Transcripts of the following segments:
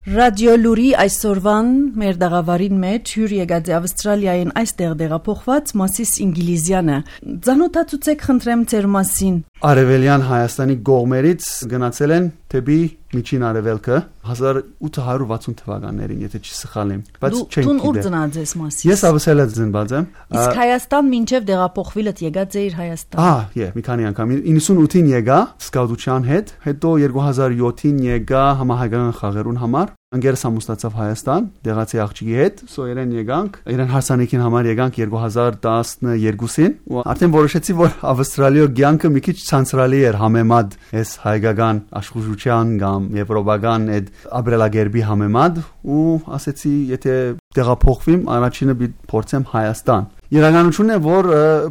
Ռադիո լուրի այսօրվան մեր դաղավարին մեջ հյուր եկած է Ավստրալիային այստեղ դեղափոխված Մասիս Ինգիլիզյանը։ Ձանոթացուցեք խնդրեմ ձեր մասին։ Արևելյան Հայաստանի կողմերից գնացել են թեպի Միջին Արևելքը 1860 թվականներին, եթե չսխալ եմ, բայց չեմ գիտեմ։ Դու ուր ծնած ես Մասիս։ Ես Ավստրալիա ծնված եմ։ Իսկ Հայաստան մինչև դեղափոխվելդ եկած էիր Հայաստան։ Մի քանի անգամ 98-ին եկա սկաուտության հետ, հետո 2007-ին եկա համահայկական խաղերուն համար։ Անգերս ամուսնացավ Հայաստան, դեղացի աղջիկի հետ, իրեն եկանք, իրեն հարսանեկին համար եկանք 2012-ին, ու արդեն որոշեցի, որ Ավստրալիա կյանքը մի քիչ ցանցրալի էր համեմատ այս հայկական աշխուժության կամ եվրոպական այդ ապրելակերպի համեմատ, ու ասեցի, եթե տեղափոխվեմ, առաջինը պիտի փորձեմ Հայաստան։ Իրականությունն է, որ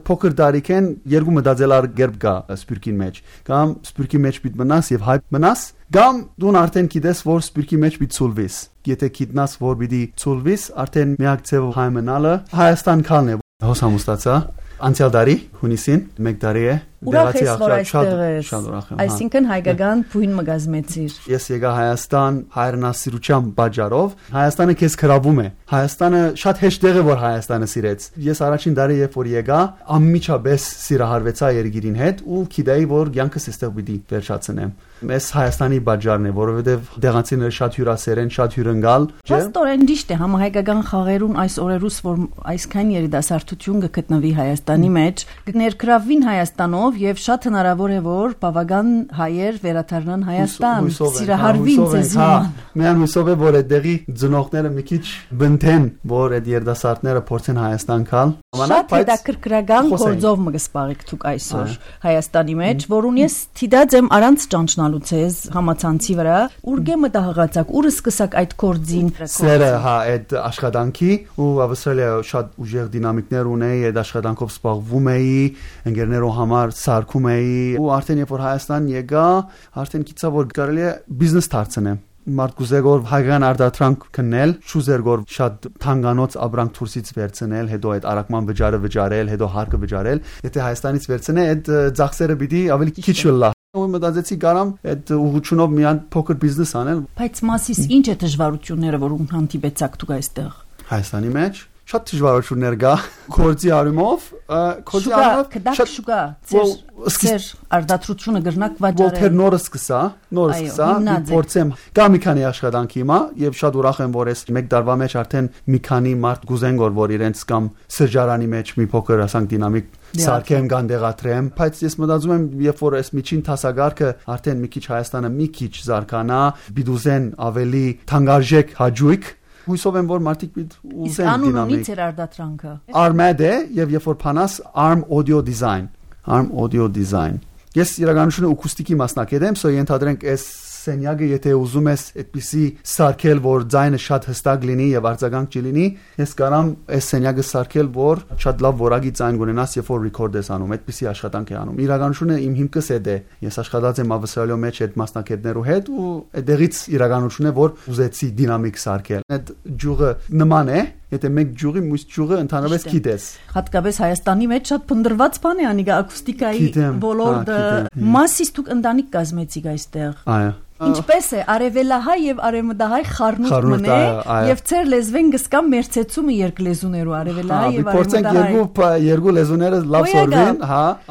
փոքր տարիքեն երկու մտածելար կերպ կա սպիրկին մեջ, կամ սպիրկի մեջ պիտի մնաս եւ հայ մնաս, կամ դու արդեն գիտես, որ սպիրկի մեջ պիտի ցուլվես։ Եթե գիտնաս, որ պիտի ցուլվես, արդեն միակ ձևը հայ մնալը Հայաստան քալն է։ Հոս ամուսնացա անցյալ տարի հունիսին 1 տարի է։ Ուրախ ես, որ այստեղ ես։ Այսինքն հայկական փույն մգազմեցիր։ Ես եկա Հայաստան հայրենասիրության պատճառով։ Հայաստանը քեզ գրավում է։ Հայաստանը շատ հեշտ տեղ է, որ Հայաստանը սիրեց։ Ես առաջին տարի երբ որ եկա, անմիջապես սիրահարվեցա երկիրին հետ ու գիտեի, որ կյանքս այստեղ պիտի վերջացնեմ։ Ես Հայաստանի պատճառն է, որովհետև դեղացիները շատ հյուրասեր են, շատ հյուրընկալ։ Փաստորեն ճիշտ է, համահայկական խաղերուն այս օրերուս, որ այսքան երիտասարդություն կգտնվի Հայաստանի մեջ, կներգրավվին Հայաստանով եւ շատ հնարավոր է, որ բավական հայեր վերադառնան Հայաստան, սիրահարվին ձեզ։ Միան հուսով է, որ այդտեղի ծնողները մի քիչ բնթեն, որ այդ երիտասարդները փորձեն Հայաստան գալ։ Շատ հետաքրքրական գործով մգսպարեք դուք այսօր Հայաստանի մեջ, որուն ես թիդած եմ առանց ճանչնալուց ես համացանցի վրա, ուրգե մտահղացակ, ուրը սկսակ այդ գործին։ Սերը այդ աշխատանքի ու Ավստրալիա շատ ուժեղ դինամիկներ ունեի, այդ աշխատանքով զբաղվում էի, ընկերներով համար սարքում էի ու արդեն երբ որ Հայաստան եկա, արդեն գիտա որ կարելի է բիզնես դարձնեմ։ Մարդ գուզեգոր հայկական արտադրանք քննել, շուզերգոր շատ թանկանոց ապրանք դուրսից վերցնել, հետո այդ արակման վճարը վճարել, հետո հարկը վճարել։ Եթե Հայաստանից վերցնե, այդ ծախսերը պիտի ավելի քիչ լա։ Ու մտածեցի կարամ այդ ուղղությունով միան փոքր բիզնես անել։ Բայց Մասիս ինչ է դժվարությունները, որոնք հանդիպեցաք դուք այստեղ։ Հայաստանի մեջ շատ դժվարություններ կա գործի արումով, շատ շուկա ծեր արդատրությունը գրնակ վաճառել։ Որտեղ նորը սկսա, փորձեմ կա մի քանի աշխատանք հիմա եւ շատ ուրախ եմ, որ այս 1 տարվա մեջ արդեն մի քանի մարդ գուզեն որ իրենց կամ սրճարանի մեջ մի փոքր ասանք դինամիկ սարքեմ կան դեղատրեմ, բայց ես մտածում եմ, երբ որ այս միջին տասագարքը արդեն մի քիչ Հայաստանը մի քիչ զարգանա, բիդուզեն ավելի թանկարժեք հաջույք հույսով եմ որ մարդիկ պիտի ուզեն դինամիկ։ Իսկ անունից էր արդատրանքը։ Armed է եւ երբ որ փանաս Arm Audio Design։ Ես իրականությունը ակուստիկի մասնակից եմ, so ենթադրենք այս սենյակը եթե ուզում ես այդպիսի սարքել, որ ձայնը շատ հստակ լինի եւ արձագանք չլինի, ես կարամ այս սենյակը սարքել, որ շատ լավ որակի ձայն ունենաս, երբ որ record ես անում, այդպիսի աշխատանք է անում։ Իրականությունը իմ հիմքս է դե։ Ես աշխատած եմ Ավստրալիա մեջ այդ մասնակիցներու հետ ու այդտեղից իրականությունն է, որ ուզեցի դինամիկ սարքել։ Այդ ջուղը նման է, եթե մեկ ջուղի մյուս ջուղը ընդհանրապես գիտես։ Հատկապես Հայաստանի մեջ շատ փնդրված բան է անիկա ակուստիկայի ոլորտը։ Մասիս դուք ընտանիք կազմեցիք այստեղ։ Այո։ Ինչպես է արևելահայ եւ արևմտահայ խառնուրդ մնե եւ ծեր լեզվեն գսկամ մերցեցումը երկլեզուներու արևելահայ եւ արևմտահայ։ Փորձենք երկու լեզուները լավ սորվեն,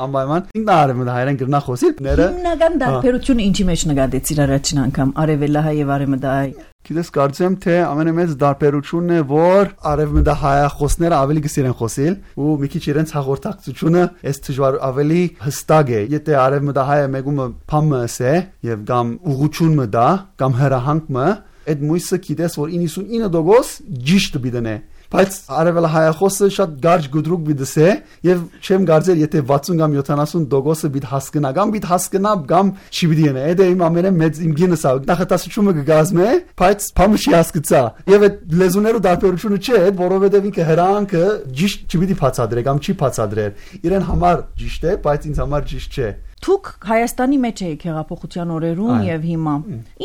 անպայման։ Ինքն արևմտահայերեն գրնա խոսիլ։ Հիմնական դարբերությունը ինչի մեջ նկատեցիր առաջին անգամ արևելահայ եւ արևմտահայ։ Գիտես կարծեմ թե ամենամեծ դարբերությունն է որ արևմտահայախոսները ավելի կսիրեն խոսել ու մի քիչ իրենց հաղորդակցությունը այս դժվար ավելի հստակ է եթե արևմտահայը մեկումը փամը է եւ կամ ուղղությունը դա կամ հրահանգը այդ մույսը գիտես որ 99% ճիշտ բիդնե բայց արևելահայախոսը շատ գարջ գուդրուկ բիդսե եւ չեմ կարծել եթե 60 կամ 70% բիդ հասկնա կամ չի բիդենե դա իմ ամենամեծ իմ գինսա նախատասությունը կգազմե բայց փամը չի հասկացա եւ այդ լեզուներու դարբերությունը չէ որովհետեւ ինքը հրանքը ճիշտ չպիտի բացադրե կամ չի բացադրել իրեն համար ճիշտ է բայց ինձ համար ճիշտ չէ Դուք Հայաստանի մեջ եք հեղափոխության օրերուն եւ հիմա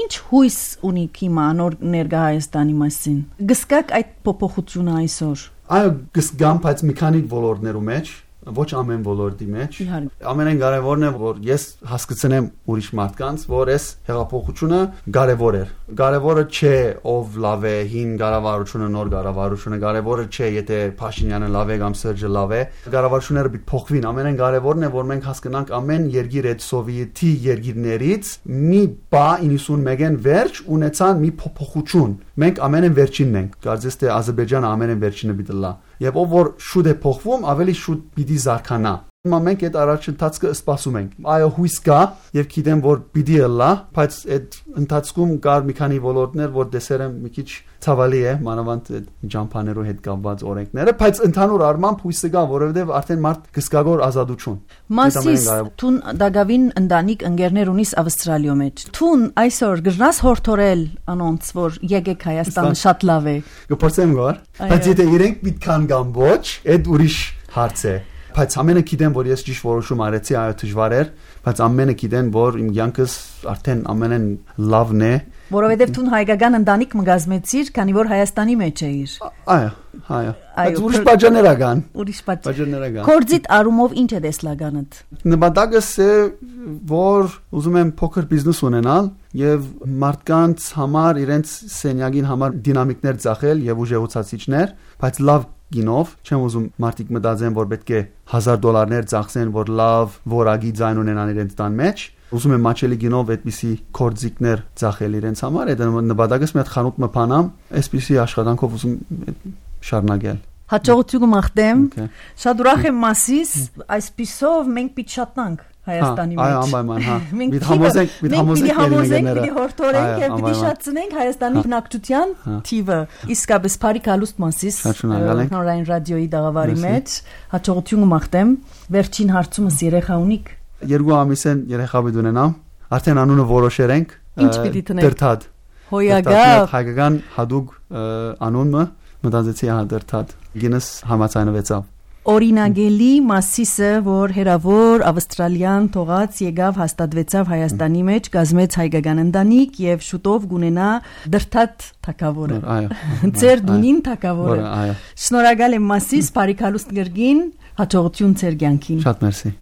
ինչ հույս ունիք հիմա նոր ներկա Հայաստանի մասին գսկակ այդ փոփոխությունը այսօր այո գսկամ բայց մի քանի ոլորտներու մեջ ոչ ամեն ոլորտի մեջ։ Իհարկե։ Ամենակարևորն է, որ ես հասկացնեմ ուրիշ մարդկանց, որ այս հեղափոխությունը կարևոր է։ Կարևորը չէ ով լավ է, հին կառավարությունը, նոր կառավարությունը, կարևորը չէ եթե Փաշինյանը լավ է կամ Սերժը լավ է։ Կառավարությունները պիտի փոխվին։ Ամենակարևորն է, որ մենք հասկանանք ամեն երկիր այդ սովետի երկիրներից մի բա 91-ին վերջ ունեցան մի փոփոխություն։ Մենք ամենեն վերջինն ենք։ Կարծես թե Ադրբեջանը ամենեն վերջինը պիտի լա։ Եվ ով որ շուտ է փոխվում, ավելի շուտ պիտի զարգանա։ Հիմա մենք այդ առաջընթացը սպասում ենք։ Այո, հույս կա եւ գիտեմ որ պիտի լա, բայց այդ ընթացքում կար մի քանի ոլորտներ, որ դեսերը մի քիչ ցավալի է, մանավանդ այդ ջամփաներու հետ կապված օրենքները, բայց ընդհանուր առմամբ հույսը կա, որովհետեւ արդեն մարդ կսկագոր ազատություն։ Մասիս տուն դագավին ընտանիք ընկերներ ունիս Ավստրալիո մեջ։ Տուն այսօր գրնաս հորթորել անոնց, որ եկեք Հայաստանը շատ լավ է։ Կփորձեմ գար, բայց եթե իրենք միտքան կամ ոչ, այդ ուրիշ հարց է։ Բայց ամենը գիտեն, որ ես ճիշտ որոշում արեցի, այո դժվար էր, բայց ամենը գիտեն, որ իմ յանքս արդեն ամենեն լավն է, որովհետև դու հայկական ընտանիք մգազմեցիր, քանի որ Հայաստանի մեջ էիր։ Այո։ Բայց ուրիշ բաժաներ ական։ Ուրիշ բաժաներ ական։ Կորձիտ արումով ինչ է դեսլականդ։ Նպատակս է, որ ուզում եմ փոքր բիզնես ունենալ եւ մարդկանց համար իրենց սենյակին համար դինամիկներ ծախել եւ ուժեղացուցիչներ, բայց լավ գինով, չեմ ուզում մարդիկ մտածեն, որ պետք է $1000 ծախսեն, որ լավ որակի ձայն ունենան իրենց տան մեջ։ Ուզում եմ մաչելի գինով այդպիսի կորձիկներ ծախել իրենց համար, այդ նպատակս մի հատ խանութ մփանամ, այսպիսի աշխատանքով ուզում շարունակել։ Հաջողություն մաղթեմ։ Շատ ուրախ եմ Մասիս, այսպիսով մենք պիտի շատնանք Հայաստանի մեջ։ Այո, անպայման, հա։ Մենք համոզենք, պիտի հորթորենք եւ պիտի շատցնենք Հայաստանի բնակչության թիվը։ Իսկապես բարի կալուստ Մասիս Հանրային ռադիոյի դաղավարի մեջ։ Հաջողություն մաղթեմ։ Վերջին հարցումս երեխա ունիք։ 2 ամիս են երեխա պիտի ունենամ։ Արդեն անունը որոշել ենք։ Ինչ պիտի տնենք։ Դրթադ։ Հոյագավ։ Հայկական հadoop անունը մտածեցի Դրթադ։ Գինես համաձայնվեցավ։ Օրինագելի Մասիսը, որ հերավոր ավստրալիան թողած եկավ հաստատվեցավ Հայաստանի մեջ, գազմեց հայկական ընտանիք եւ շուտով գունենա Դրթադ թագավորը։ Այո։ Ձեր դունին թագավորը։ Այո։ Շնորհակալ եմ Մասիս, բարի կալուստ գրգին, հաջողություն ձեր կյանքին։ Շատ մերսի։